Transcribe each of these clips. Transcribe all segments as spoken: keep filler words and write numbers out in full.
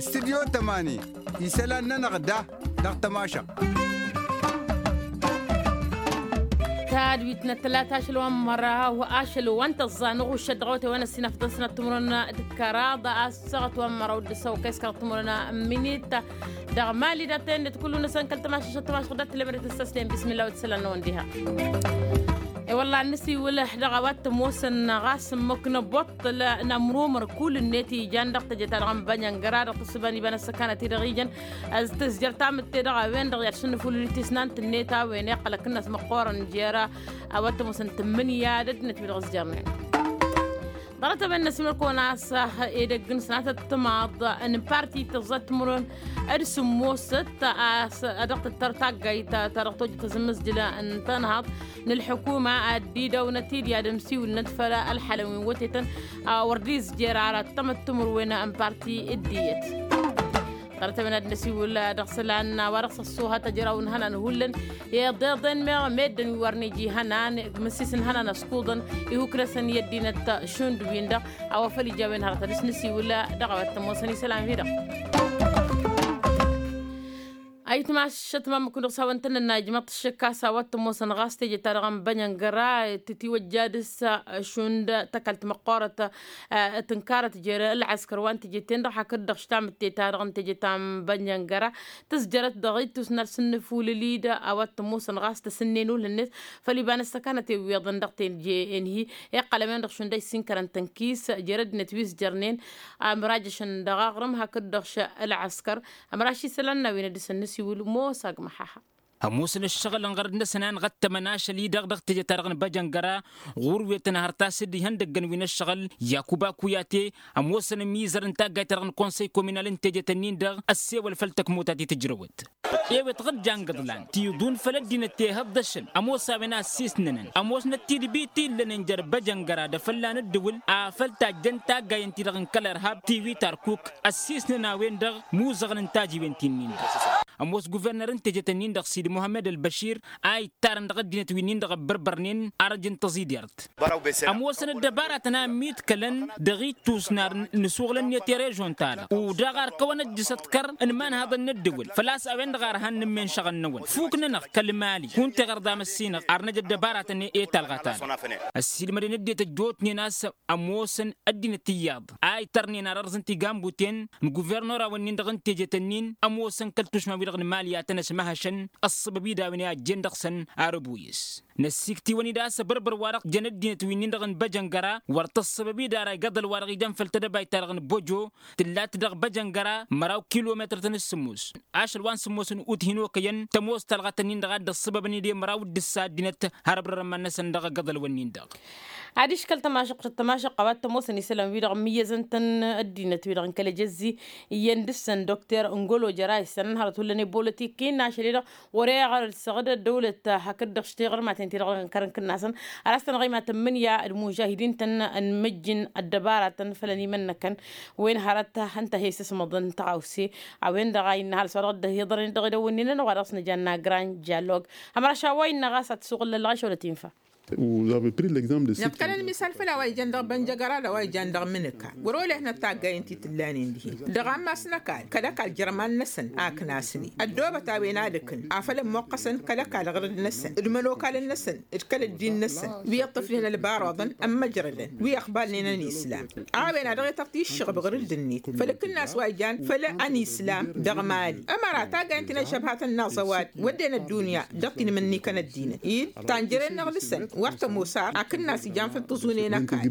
Studyo tămani isălan-nănăɣ da dăɣ-tămašăɣt. Tadwit n-ăttălat ašăl wa n-măraw ašăl wa n-tăẓẓa n-uɣušăt dăɣ-awătay wa n-ăssinafḍăn s-năttămrăn d-kăraḍ a-s săɣăt wa n-măraw d-ăssăwăkay s-kăraḍ tămrăn. Minit dăɣ-mali dat-en d-kullu-năsăn kăl-tămašăšăt tămašăɣ dat-tǝlem d-tăssăslen bismilla wa t-isălan-năwăn diha. E-wălla ad-nǝsiwǝl dăɣ-a-wa t-ămoosăn ɣas ǝmmǝk n-ăboṭṭăl n-ămrumăr kull-net ijan dăɣ-teje-ta-dăɣ n-bănjăngăra dăɣ-tǝssǝba n-iba n-ăssăkanăt-i-dăɣ ijăn. Tǝzjăr tamǝtte dăɣ-a-wen-dăɣ i-ad-sǝnnǝfulǝl tisnant-net a-wen iqqăl ăkǝnnas măqqoorăn jer-a-wa t-ămoosăn tǝmmǝnǝya d-ăddinăt wi dăɣ-ǝzjărnen. Ḍarăt a-wen n-ăsimăr-kăwăn a-s edăgg n-sănatăt timaḍ n-parti tăẓẓa timǝrwen d-sǝmmosăt a-s dăɣ-tǝttăr taggayt ta dăɣ-tojăt azǝmmǝzjǝl n-tănhaḍt n-ălḥukuma ad-dd-idăwnăt-dd i-ad-ămsiwǝlnăt făll-ălḥalăn wi n-wătetăn. Wăr dd-izjer ara ăttămăt timǝrwen n-parti dd-iyyăt. Ḍarăt a-wen ad-năsiwǝl dăɣ-isălan wa dăɣ-s ăṣṣuhăt ăjraw n-ihănan hullan. Iḍeḍen meɣ meddǝn wi wăr n-iji ihănan măssis n-ihănan ăskuḍăn ihuk-năsăn i-ăddinăt šund-win-dăɣ. A-wa făl ija a-wen hărăt ad-dăɣ-s năsiwǝl dăɣ-a-wa t-ămoosăn isălan-wi-dăɣ. Ayǝtmašăt ma ǝmmǝk-wi-dăɣ s-hawăn-tăn-ănn a ijmăḍ-t šăkk a-s a-wa t-ămoosăn ɣas teje-ta-dăɣ n-bănjăngăra tǝtiwăjja dăɣ-s šund tăkalt măqqoorăt tǝnkarăt jer-ălɣăskăr wa n-teje-ten-dăɣ hakd-dăɣ š-tamǝtte-ta-dăɣ n-teje ta n-bănjăngăra tǝzjărăt dăɣ-ittus n-ad-sǝnnǝfulǝl-dd a-wa t-ămoosăn ɣas tăsǝnnen ulh-net făll-iba n-ăssăkanăt iwweḍăn dăɣ-teje-en-hi. Iqqăl a-wen-dăɣ šund a issinkărăn tănkis jer-ăddinăt wi s-jărnen amrajăšăn dăɣ-aɣrǝm hakd-dăɣ š-ălɣăskăr. Ămraš isălan n-a-wen ad-dăɣ-săn nǝsiwǝl mosa agmăhaha. Ămoosăn ǝššăɣǝl ănɣărăd-năsăn a ănɣăttămăn ašăl-i-dăɣ dăɣ-teje-ta-dăɣ n-băjăngăra ɣur-wetăn hărăt a-s dd-ihăndăggăn wi n-ăššăɣǝl yakuba kuyate. Ămoosăn ămizăr n-taggayt-ta-dăɣ n-konsăy kominal n-tejet-ǝnnin-dăɣ ăssewăl făll-tăkmota ti tǝjrăwăt. Ewet ɣǝr-jan gǝḍlan tiḍun făll-ăddinăt tehăḍ d-ašăl ămoos a-wen a ăssiisnănăn ămoosnăt tidbit ti ǝllănen jer-băjăngăra d-afălla n-ǝddǝwǝl afăl tajjăn taggayen-ti-dăɣ n-kăl-irhab tiwi tarkuk ăssiisnăn a-wen-dăɣ muzăɣăn n-tajiwen ti-nin-dăɣ. Ămoos guverner n-tejet-ǝnnin-dăɣ sidi muhammed ălbăšir a ittarăn dăɣ-ăddinăt wi-nin-dăɣ ăbbărbărnen arăj n-tăẓidert. Ămoosăn ăddăbaratăn a ămmiḍkălăn dăɣ-ittus n-ar nǝsuɣǝlăn-net i-režon-ta-dăɣ udaɣ ar kăwăn-ăjjǝs ăḍkăr n-imanhaḍăn n-ăddǝwǝl făl-a-s a-wen-dăɣ ar han-nǝmmen šăɣǝl-năwăn fuk-nănăɣ kăl-mali kunta iɣărḍa măssinăɣ ar năj ăddăbaratăn i-talɣa-ta-dăɣ. Ăssiilmădăn ăddinăt ăjjootnen a-s ămoosăn ăddinăt iyyăḍ a itărnen ar ărẓǝn tigambuten n-guvernorawăn-nin-dăɣ n-tejet-ǝnnin ămoosăn kăl-tušma-wi-dăɣ n-mali a tăn-ăsmăhăšăn ăṣṣăbăb-i d-a-wen i-ajjen dăɣ-săn. Arăbuyǝs năssiiktiwăn-dd a-s abărbăr wa-dăɣ jăn ăddinăt wi-nin-dăɣ n-băjăngăra wăr tăṣṣăbăb-dd ara igăḍăl wa-dăɣ ijăn făll-tedăbayt-ta-dăɣ n-băjo tǝllat dăɣ-băjăngăra măraw kilometăr-tăn s-sǝmmos ašăl wa n-sǝmmos n-ut hin-okăyăn tămoos talɣat-ǝnnin-dăɣ a dd-ăṣṣăbăbăn-dd i-măraw d-ǝssa ăddinăt har ăbrărăn iman-năsăn dăɣ-igăḍălwăn-nin-dăɣ. Adiš kăl-tămašăɣt tămašăɣt a-wa t-ămoosăn isălan-wi-dăɣ ǝmmǝyyăzăn-tăn ăddinăt-wi-dăɣ n-kăl-ejăzzi iyyăn dăɣ-săn dokter n-golo jăra isălan hărăt hullan i-bolătik innă ašăl-i-dăɣ wăr-e iɣărăl-săɣǝd ăddăwlăt hakd-dăɣ š-tiɣărmaten-ti-dăɣ n-kărăn kǝnnasăn. Ar a-s tăn-ɣăyma tǝmmǝnǝya d-mužahidin-tăn n-imǝjjǝn ăddăbaratăn făll-ănimănnăkăn wen hărăt hăn-tăhesăsmăḍăn tăɣawse a-wen-dăɣ a innă ăhalǝs wa dăɣ-dd-ăhiḍărăn dăɣ-edăwwǝnnin-nănăɣ wa dăɣ-s năjanna grand dialog. Hămăraš a-wa innă ɣas ad-t-suɣǝllăl lăɣ išwălăt infa. Năfkălăn misal făll-a-wa ijan dăɣ-bănjăgăra d-a-wa ijan dăɣ-mǝnǝka wăr-olehănăt taggayen ti tǝllanen dihen dăɣ-ammas n-ăkall kăl-ăkall jărman-năsăn a ǝknasnen ăddoobăt a-wen ad-ǝkǝn afăl ămmoqqăsăn kăl-ăkall ɣărăd-năsăn d-imănokalăn-năsăn d-kăl-ăddin-năsăn wi ǝṭṭǝfnen ălbaruḍăn ămmăjrădăn wi ăqbalnen ănislam. A-wen a dăɣ-e tărtǝy ǝššăɣăb ɣǝrǝd-net făll-akǝnnas wa ijan făll-ănislam dăɣ-mali ămăra taggayen ti n-ăžžăbhatăn n-aẓăwad wădden ăddunya dăɣ-tinmǝnnikăn ăddinăt-i-dd tanjăren n-aɣlǝsăn wăr tămoos ar akǝnnas ijan făll-tǝẓunen ăkall.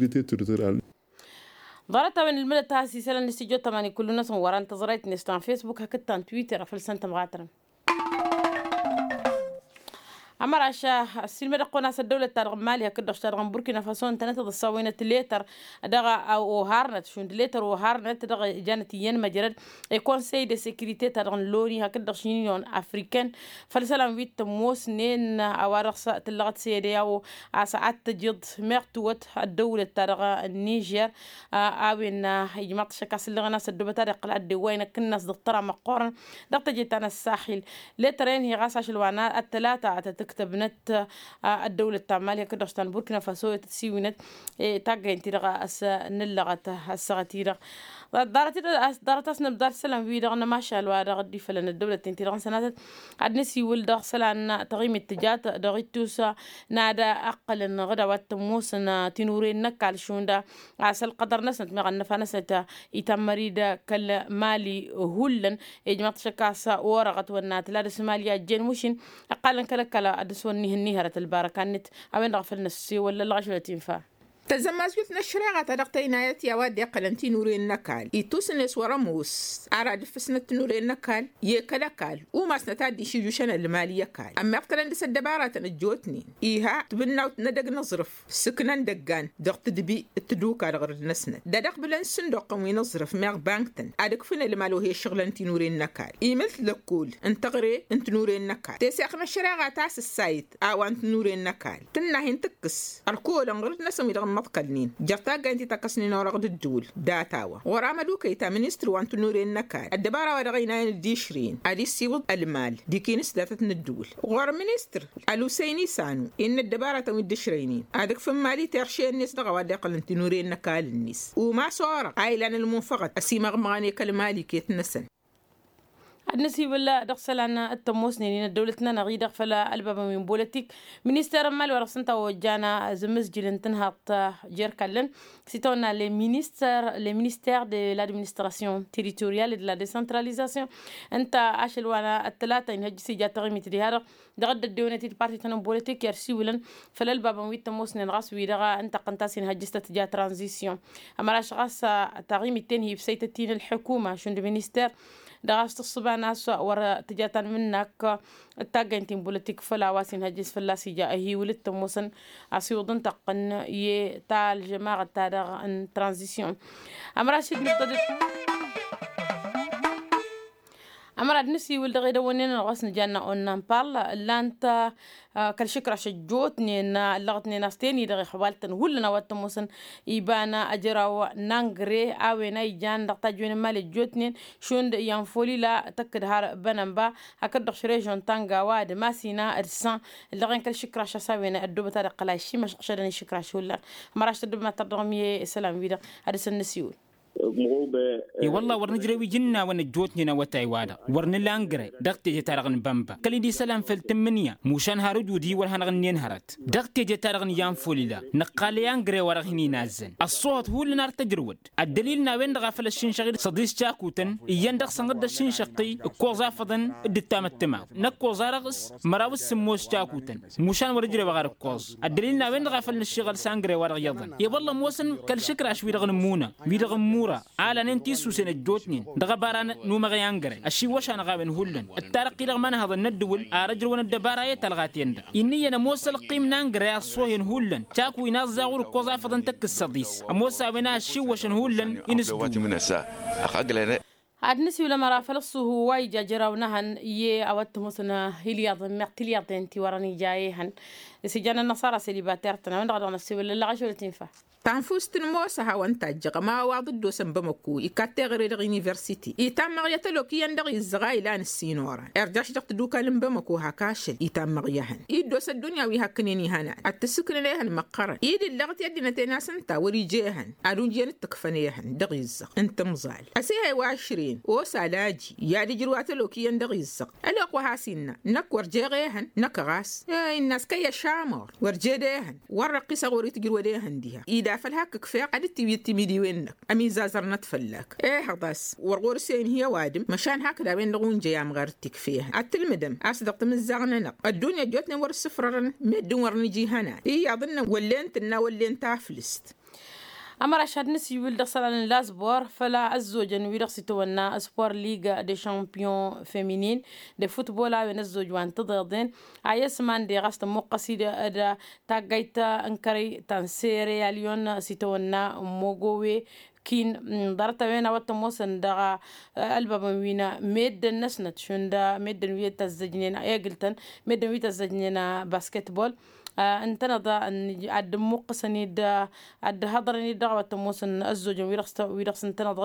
Ḍarăt-a-wen ǝlmǝdăt a-s isălan n-studyo tămani kullu-năsăn wăran tăẓrayt-net ta n-fesbuk hakd ta n-twitter afăl săn tămɣatărăn. Ămăraš ăssiilmădăɣ-kăwăn a-s ăddăwlăt-ta-dăɣ n-mali hakd-dăɣ š-ta-dăɣ n-burkina faso ǝntănăt ad-ăssawăynăt letăr dăɣ-oharnăt šund letăr oharnăt dăɣ-ijanăt iyyăn măjrăd i-konsey de sekirite-ta-dăɣ n-loni hakd-dăɣ š-inyon afriken făll-isălan wi t-ămoosnen a-wa dăɣ-s tǝllăɣăt sedeao a-s ad-tăjǝḍ meɣ tǝwwăt ăddăwlăt-ta-dăɣ n-nižer. A-wen ijmaḍ-t šăkk a-s ǝllăɣăn a-s ăddoobăt ad-iqqăl ad-dd-ewwayăn akǝnnas dăɣ-tăra măqqoorăn dăɣ-teje ta n-ăssaxil letăr-en hi ɣas ašăl wa n-ăttălata ad-tăt-ǝk ǝktăbnăt ăddăwlăt ta n-mali hakd-dăɣ s-ta n-burkina faso i-tăt-siwǝynăt. Taggaynt-ti-dăɣ a-s nǝllăɣăt ăssaɣăt-i-dăɣ. Ḍarăt-asnăbḍa d-isălan-wi-dăɣ n-emašal wa dăɣ-dd-ifălăn ăddăwlăt-ten-ti-dăɣ n-sănatăt. Ad-nǝsiwǝl dăɣ-isălan taɣimit tǝjat dăɣ-ittus n-ad-ăqqălăn ɣǝd a-wa t-ămoosăn tinuren n-ăkall šund a-s ălqădăr-năsnăt meɣ ănnăfa-năsnăt itammăr-dd kăl-mali. Hullan ijmăḍ-t šăkk a-s orăɣăt wănna tǝla dăr-s mali a ăjjeen mušin ăqqalăn kăl-ăkall ad-dăr-s wăr nihărăt ălbarăka-net. A-wen-dăɣ a făl năssewăl lălɣašălăt infa. Tăzzămmasjut n-ăššăreɣa ta dăɣ-tăynayăt i-a-wa dd-iqqălăn tinuren n-ăkall ittusǝnet wăr-ămoos ar ad-ǝffǝsnăt tinuren n-ăkall i-kăl-ăkall umasnăt ad-dd-išǝjjušăn ălmal i-ăkall ămmiḍkălăn dăr-s ăddăbaratăn ăjjootnen. Iha tibǝnnawt n-edăgg n-aẓrǝf s-ǝknăn dăggan dăɣ-tǝdbi d-tǝduka dăɣ-rǝd-năsnăt d-ad-ăqbǝlăn s-sǝnduqqăn wi n-aẓrǝf meɣ bank-tăn ad-ǝkfǝn ălmal wa hi-ăššăɣǝlăn tinuren n-ăkall imǝlt lăkkol n-tăɣre n-tinuren n-ăkall teseɣt n-ăššăreɣa ta s-ǝssayǝt a-wa n-tinuren n-ăkall tǝnna hin-tǝkkǝs ărkolăn ɣǝrǝd-năsăn wi-dăɣ ǝmmăḍkălnen jer-taggayen ti takkăsnen orăɣ d-ǝddǝwǝl. Dat-a-wa ɣur-amădukăy ta ministăr wa n-tinuren n-ăkall ăddăbara wa dăɣ-ăynayăn dd-išrǝyăn ad-issiwǝḍ ălmal d-ikinǝs datăt n-ǝddǝwǝl ɣur-ministăr ălusăyni sanu innă ăddăbaratăn wi dd-ǝšrăynen ad-ǝkfǝn mali terše-net dăɣ-a-wa dd-iqqălăn tinuren n-ăkall-net umas orăɣ a ilan ălmunfăɣăt ăsimăɣmăɣăn i-kăl-mali iket-năsăn. Ad-nǝsiwǝl dăɣ-isălan t-ămoosnen-in ăddăwlăt-nănăɣ-i-dăɣ făll-ălbabăn wi n-bolătik minister n-mali wa dăɣ-s ǝnta a ojjan azǝmmǝzjǝl n-tǝnhaḍt jer-kallăn s-itawănna le minister de l'administration territoriale de la décentralisation. Ǝnta ašăl wa n-ăttălata inhăjjǝs ija taɣimit diha-dăɣ dăɣ-dd-ăddewănăt-dd parti-tăn n-bolătik i-ad-siwǝlăn făll-ălbabăn wi t-ămoosnen ɣas wi-dăɣ ǝntăqqăn-t a-s inhăjjǝs tăt-tǝja tranzisyon. Ămăraš ɣas taɣimit-ten hi-ibsăytăt-in ălḥukuma šund minister dăɣ-a-s tǝṣṣǝba n-a-s wăr tǝja tanmǝnnak d-taggaynt ti n-bolătik făll-a-wa s-inhăjjǝs fălla-s ija ăhiwǝl d-tămoosăn asiwǝḍ ǝntăqqăn i-ta ălžămaɣăt-ta-dăɣ n-tranzisyon. Ămăraš-dd nǝḍḍădăd ămăra d-nǝsiwǝl dăɣ-edăwănnen-nănăɣ ɣas nǝjanna onna n-pal ǝllan-t kăl-išǝkraš ăjjootnen ǝllăɣătnen a-s ten-i-dăɣ ixwal-tăn hullan a-wa t-ămoosăn iba n-ajăraw n-angre a-wen a ijan dăɣ-tajjăwen n-imali ăjjootnen šund i-anfolila tăkk-dd har bănănba hakd-dăɣ š-režyon tanga wa d-masina d-san ǝllăɣen kăl-išǝkraš a-s a-wen ăddoobăt ad-ǝqqǝl a išimăšɣǝšădăn išǝkraš hullan. Ămăraš tăddobăm ad-tărdăɣăm i-isălan-wi-dăɣ ad-dăr-săn nǝsiwǝl. I-wălla wăr nǝjrew iji n-a-wăn ăjjootnen awătay-wa-dăɣ wăr nǝla angre dăɣ-teje-ta-dăɣ n-bănba kăl-i d-isălan făll-tǝmmǝnǝya mušan har ǝjud-i wăr hanăɣ-ǝnnen hărăt. Dăɣ-teje-ta-dăɣ n-iyan folila nǝqqal i-angre wa dăɣ-hin-inazzăn ăṣṣoohăt hullan ar tăjrǝwăd. Ăddălil n-a-wen-dăɣ a făl ăššinšăɣ-dd săḍis cakutăn iyyăn dăɣ-săn dd-ăššinšăɣ-t-i ǝkkoẓ afăḍăn d-ǝttam ăttămaw năkkoẓ-a-dăɣ s-măraw s-sǝmmos cakutăn. Mušan wăr-ǝjrewăɣ ar ǝkkoẓ ăddălil n-a-wen-dăɣ a făl nǝššiɣăl s-angre wa dăɣ-iyyăḍăn i-wălla ămoosăn kăl-išǝkraš-wi-dăɣ n-ǝmmuna wi-dăɣ ǝmmura a lanen tisusen ăjjootnen dăɣ-ăbara n-umăɣ i-angre ăšiwwăš-anăɣ a-wen hullan. D-tarăqqi-dăɣ ma n-ehăḍăn n-ăddǝwǝl ar ăjrăwăn ăddăbara i-talɣa-ten-dăɣ innă iyyăn ămoos ălqim n-angre a ăṣṣohen hullan. Caku inaẓẓa ɣur-ǝkkoẓ afăḍăn tăkk s-săḍis ămoos a-wen a ăššiwwăšăn hullan. Inǝsdǝw ad-nǝsiwǝl ămăra făl ăṣṣuhu wa ija jăraw n-ehăn i-a-wa t-ămoosăn ilyaḍăn meɣ tilyaḍen ti wărăn ija ehăn. S-ijan ănnăṣara selibater-tăn a-wen-dăɣ a dăɣ-năssiwǝl ǝllăɣ ašăl t-infa. Tanfust n-ămoos a hawăn-tajjăɣ ămawaḍ dd-osăn bamăko ikat teɣăre dăɣ-universite itammăɣ i-ătălok iyyăn dăɣ-izzăɣ a ilan ǝssin oran irjaš dăɣ-tadukal n-bamăko hak ašăl itammăɣ i-ehăn. Dd-osa ăddunya wi hakkǝnen ihănan ad-t-sǝknǝn ehăn măqqărăn i-dd-ǝllăɣăt i-ăddinăt-en a-s ǝnta wăr-ija ehăn ad-unjăyăn d-tǝkfăn ehăn dăɣ-izzăɣ n-timẓal. Ăsihăy wa ăšrăyăn osa laji i-ad-ǝjrǝw atălok iyyăn dăɣ-izzăɣ ălwăqq wa has-innă năkk wăr jeɣ ehăn. Năkk ɣas innă a-s kăyy ăšamor wăr jed ehăn wăr răqqisăɣ wăr-itǝjrǝwăd ehăn diha ida făl hak ǝkfeɣ ad-dd-tiwǝyǝd timidiwen-năk. Ămizazărnăt fălla-k ehăḍ a-s wăr ɣur-s e-inhi ăwadǝm măšan hakd a-wen-dăɣ unjăy amɣar d-tikfehăn ad-tǝlmǝdăm a-s dăɣ-timǝzzaɣ-nănăɣ ăddunya ăjjootnen wăr-ǝssǝfrărăn. Meddǝn wăr nǝja ihănan iyyăḍ-nănăɣ wăllen tǝnna wăllen taflǝst. Ămăraš ad-nǝsiwǝl dăɣ-isălan n-lazbor făll-ăzzojăn wi-dăɣ s-itawănna spor liga de champion feminin de futbol a-wen ăzzoj wa n-tiḍeḍen a i-s mande ɣas tămmuqqăs-dd taggayt n-kărăy ta n-sere alyon s-itawănna n-mogowe. Kin ḍarăt-a-wen a-wa t-ămoosăn dăɣ-ălbabăn wi n-meddǝn-năsnăt šund meddǝn wi tăzzăjnen egǝl-tăn meddǝn wi tăzzăjnen basketbol. Ǝntăneḍ ad-dd-ămmuqqǝsăn-dd ad-dd-hăḍrăn-dd dăɣ-a-wa t-ămoosăn ăzzojăn wi dăɣ-s ǝntăneḍ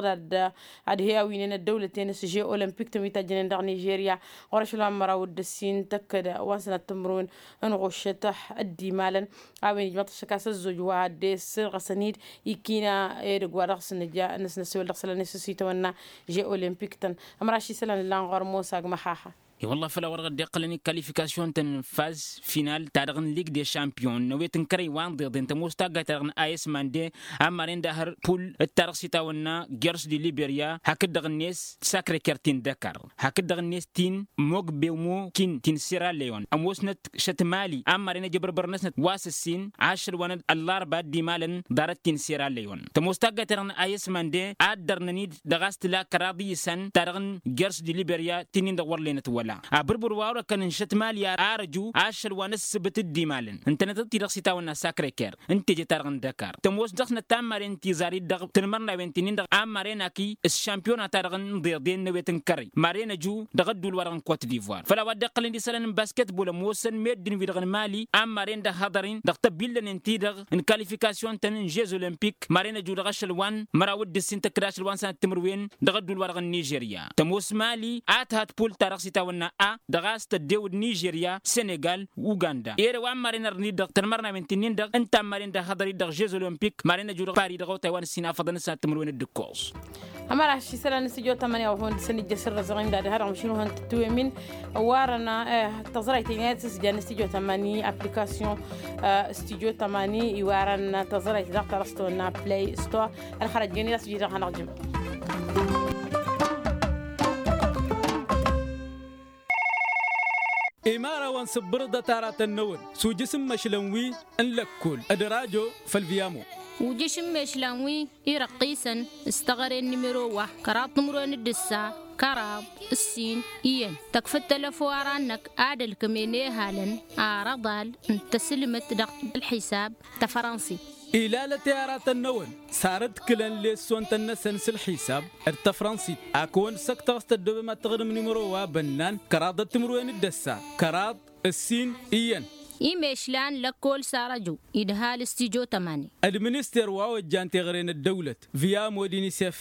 ad-he-awǝynen ăddăwlăten s-žeu olămpik-tăn wi tajjănen dăɣ-nižerya ɣur-ašăl wa n-măraw d-ǝssin tăkkăd wa n-sănat timǝrwen n-ɣuššăt. Ăddimalăn a-wen ijmăḍ-t ăššăk a-s ăzzoj wa dd-esǝrɣăsăn-dd ikina edăgg wa dăɣ-s nǝja n-asnăsewăl dăɣ-isălan i-sǝsitawănna žeu olămpik-tăn. Ămraš isălan ǝllan ɣur-mosa agg măxaxa. I-wălla făl a-wa dăɣ-dd-iqqălăn i-kalifikasyon-tăn n-faz final-ta-dăɣ n-lig de šampiyon n-ewet n-kărăy wa n-ḍeḍen tămoos taggayt-ta-dăɣ n-a s mande a n-maren d-ahăr pul d-ta-dăɣ s-itawănna gers di liberya hakd-dăɣ-net sakre kertin dăkar hakd-dăɣ-net tin mog bewmo kin tin sera leyon ămoosnăt šăt mali a n-maren ăjăbărbăr-năsnăt wa s-ǝssin ašăl wa n-ăllarba dd-imalăn ḍarăt tin sera leyon tămoos taggayt-ta-dăɣ n-a s mande a dd-ărnăn-dd dăɣ-a-s tǝla kăraḍ iyyǝsăn ta-dăɣ n-gers di liberya tinin-dăɣ wăr lenăt wăla abǝrbǝr wa orăkăn n-šăt mali ar ăju ašăl wa n-ǝssǝbǝt dd-imalăn ǝntănăt-dd-ti-dăɣ s-itawănna sakre ker n-teje-ta-dăɣ n-dăkar tămoos dăɣ-snăt ta n-maren tizar-i-dd dăɣ-tǝnmărnawen tinen-dăɣ a n-maren akǝy s-šampiyona-ta-dăɣ n-iḍeḍen n-ewet n-kărăy maren ăju dăɣ-ădduul-wa-dăɣ n-kot divoir făl a-wa dd-iqqălăn d-isălan n-basketbol ămoosăn meddǝn-wi-dăɣ n-mali a n-maren dăɣ-hăḍăr-in dăɣ-tăbillănen-ti-dăɣ n-kalifikasyon-tăn n-žez olămpik maren ăju dăɣ-ašăl wa n-măraw d-ǝssin tăkkăd ašăl wa n-sănăt timǝrwen dăɣ-ădduul-wa-dăɣ n-nižerya tămoos mali a tǝhăt pul-ta-dăɣ s-itawănna a dăɣ-a-s tăddew d-nižerya senegal uganda ere wa n-maren ărnid dăɣ-tănmărnawen ti-nin-dăɣ ǝnta n-maren dăɣ-hăḍăr-i dăɣ-žez olămpik maren ăju dăɣ-pari dăɣ-otay wa n-ǝssin afăḍăn s-ad-timǝrwen d-ǝkkoẓ. Ămăraš isălan n-stujo tămăni a-wa hawăn-dd-săn ijjăš irrăzăɣ-in d-ad-hărăɣ măšin uhăn tǝtwǝyăm-in. Warăn tăẓrayt-in i-ad-sǝsjan n-stujo tămăni aplikasyon stujo tămăni iwarăn tăẓrayt daɣ ta dăɣ-s tăwănna play store. Ălxărăj gen i-ad-sǝjǝy daɣ hanăɣ-jǝm. Imărawăn sǝbbărăḍăt aratăn-năwăn s-ujǝs n-imăšlan wi n-lăkkol d-rajo făll-viyamo. Ujǝš n-imăšlan wi irăqqisăn s-teɣăre n-nimero wa kăraḍ timǝrwen d-ǝssa kăraḍ ǝssin iyyăn tăkf d-telăfo ara-năk ad-ălkămen ehalăn arăḍal n-tăslǝmăt dăɣ-ălḥisab tăfrănsit. Ilalăt i-aratăn-năwăn sarǝdkǝlăn lesson-tăn-năsăn s-ălḥisab d-tăfrănsit a kăwăn-săktăɣ s-tăddobem ad-tăɣrǝm nimăro wa bănnan kăraḍăt timǝrwen d-ăssa kăraḍ ǝssin iyyăn. Imešlan lăkkol sarăju idhal s-tijo tămani. D-minister wa ojjan teɣăre n-ăddăwlăt via mod inisef.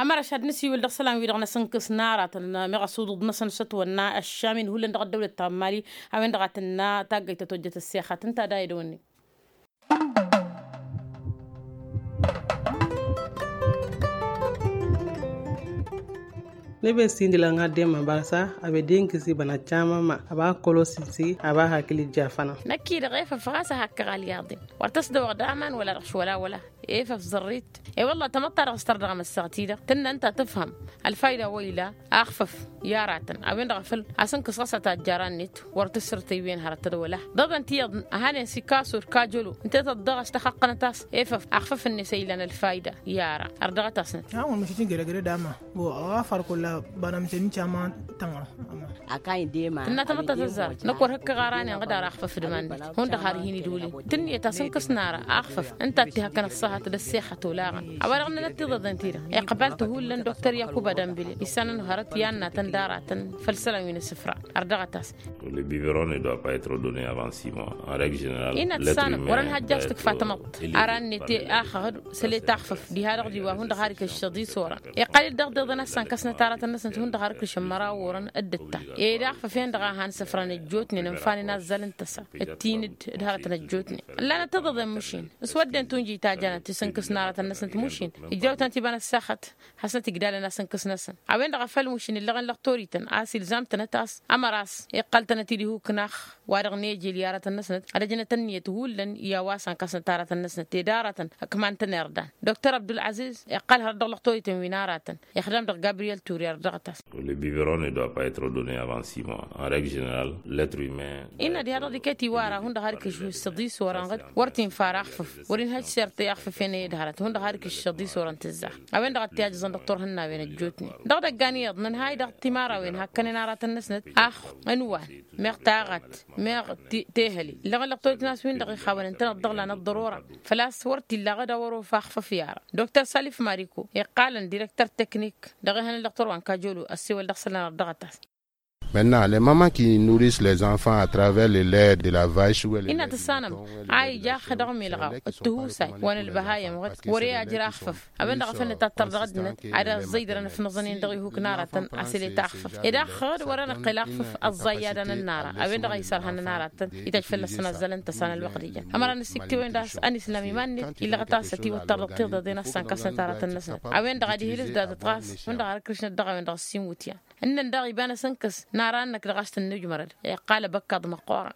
Ămăraš ad-nǝsiwǝl dăɣ-isălan-wi-dăɣ n-asǝnkǝs n-aratăn meɣ asuḍuḍ-năsăn s-ătwănna ăššam-in hullan dăɣ-ăddăwlăt ta n-mali a-wen-dăɣ a tǝnna taggăyt tătojjăt ăssexăt ǝnta ad-aydăwănni. Nǝbes-i n-dila n-ad-dema bărsa a bed-i n-kǝsi băna camama a ba kălo sǝnsi a ba hakil ija fănăn. Năkk-i-dăɣ efăf ɣas a hakkăɣ alyaḍen wăr tăsdăwăɣ d-aman wăla dăɣ-s wăla wăla. Efăf zărrit. E-wălla tamăḍt-ta-dăɣ s-tărdăɣăm ăssaɣăt-i-dăɣ tǝnnăn ta tǝfhăm ălfayda wa ila. Axfăf i-aratăn a-wen-dăɣ a făl asǝnkǝs ɣas a tajjăra-net wăr tǝssǝrtăy wen hărăt tădwăla. Ḍeḍen tiyyăḍ a hanen s-ikaso d-kajălo ǝnta i-tăḍḍăɣ a-s tăxăqqănăt a-s efăf axfăf-net a ilan ălfayda. I-ara ărdăɣăt-asnăt. Awăn măšit n-gădăgădăd ama. Ɣafăr kulla bănămsen n-cama tănɣăr. Tǝnna tamăḍt ta tăzzarăt năkk wăr hǝkkăɣ ara-nen ɣǝd ara axfăf d-iman-net hundăɣ har hin-idwǝlin. Tǝnniyăt asǝnkǝs n-ara axfăf ǝnta a t-ihăkkăn ăṣṣahăt d-ăssexăt olaɣăn. A-wa-dăɣ ǝnnănăt tiḍeḍen-ti-dăɣ iqbal-t hullan doktor yakuba dănbile issanăn hărăt i-ad-natăn d-aratăn făll-isălan wi n-asǝfra. Ărdăɣăt-as. Le biberon ne doit pas être donne avant six mois en règle générale. Innă tǝssanăɣ wăr-ănhăjjaš tǝkfa tamăḍt ara-net. Axăɣ-dd săl-e-taxfăf diha-dăɣ d-iwa hundăɣ har ikǝššăḍ isorăn. Iqqăl-dd dăɣ-deḍăn a s-sănkăsnăt aratăn-năsnăt hundăɣ har ikǝššăn măraw orăn. D-ǝtta ed axfăf-en-dăɣ a han săfrăn ăjjootnen ǝnfanen azzal n-tăsa d-tin-dd d-hărătăn ăjjootnen. Ǝllanăt tiḍeḍen mušin s-wădden tunjit ta jănăt isǝnkǝs n-aratăn-năsnăt mušin ijrawtăn-t iba n-ăssaxăt. Hasnăt igdalăn asǝnkǝs-năsăn a-wen-dăɣ a făl mušin ǝllăɣen lăɣ torităn a-s ilzam-tănăt a-s ămăra a-s iqqăl-tănăt-dd ihuknax. Wa-dăɣ nejel i-aratăn-năsnăt ad-ăjnăt ǝnniyăt hullan i-a-wa sănkăsnăt aratăn-năsnăt ed aratăn ăkman-tăn irdan. Doktor abdul-aziz iqqăl hărăt dăɣ-lăɣ torităn wi n-aratăn ixdam dăɣ-gabriyel turi ărdăɣăt-as. Le biberon ne doit pas être donne avant six mois en règle générale. L'être humain innă diha-dăɣ d-iket iwara hundăɣ har ikǝššǝw s-tiḍis orăn ɣǝd wăr t-infa ar axfǝf. Wăr-inhăj s-irtăy axfǝf. Fenăyăd hărăt hundăɣ har ikǝššăḍ isorăn tǝzzax a-wen-dăɣ a t-ijăẓăn dăɣ-turhǝnnawen ăjjootnen dăɣ-idăggan iyyăḍ nǝnhay dăɣ-timarawin hakkănen aratăn-năsnăt. Ax ǝnwan meɣ taɣăt meɣ tehăli ǝllăɣăn lăqtor itnas-win-dăɣ ixawăn ǝntăneḍ dăɣ-lan ăḍḍărora. Făl-a-s wăr t-illa aɣăd a wăr-ofa axfăf i-ara. Dr salif mariku iqqalăn direktăr teknik dăɣ-ehăn ǝllăɣ turwa n-kajolu ăssewăl dăɣ-isălan ărdăɣăt-as. Mănna le mama ki nuris lez-anfan a travers le led de la vaš wele. Innă tǝssanăm a ija axădăɣ milɣaw d-tihusay wa n-ălbăhayăm ɣǝd wăr-e ajra axfăf. A-wen-dăɣ a făl nǝtattăr dăɣ-ăddinăt ad-ăẓẓăydărăn ăfnăẓăn-in dăɣ-ihuk n-aratăn a-s ălet axfăf ed axăɣ-dd wăr-ănăqqel axfăf. Ăẓẓayy ad-anănnara a-wen-dăɣ a isărhănăn aratăn ităjj fălla-săn azzalăn tăsa n-ălwăqq d-ijăn ămăra n-ăsiktiwen d-a-s ănislam iman-net. Illăɣăt a-s ătiwăttăr dăɣ-tiḍeḍen a-s ănkăsnăt aratăn-năsnăt a-wen-dăɣ ad-ihǝlǝs d-ad-ăṭṭas hundăɣ har ǝkrǝšnăt dăɣ-a-wen-dăɣ ăssiinwǝtyan. Ǝnnăn daɣ iba n-asǝnkăs n-ara-năk dăɣ-a-s tǝnnǝjmărăd iqqal abăkkaḍ măqqoorăn.